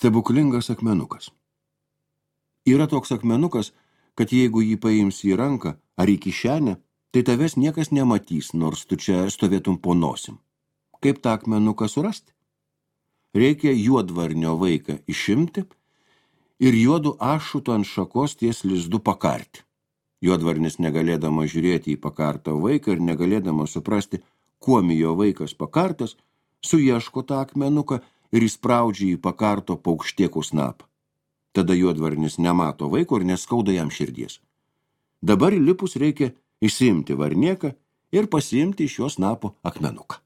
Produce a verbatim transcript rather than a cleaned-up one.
Stebuklingas akmenukas. Yra toks akmenukas, kad jeigu jį paimsi į ranką ar į kišenę, tai tavęs niekas nematys, nors tu čia stovėtum po nosim. Kaip tą akmenuką surasti? Reikia juodvarnio vaiką išimti ir juodu ašutu ant šakos ties lizdu pakarti. Juodvarnis negalėdama žiūrėti į pakartą vaiką ir negalėdama suprasti, kuom jo vaikas pakartas, suieško tą akmenuką ir įspraudžia į pakarto paukštiekų snapą. Tada juodvarnis nemato vaiko ir neskauda jam širdies. Dabar įlipus reikia išsiimti varnieką ir pasiimti iš jo snapo akmenuką.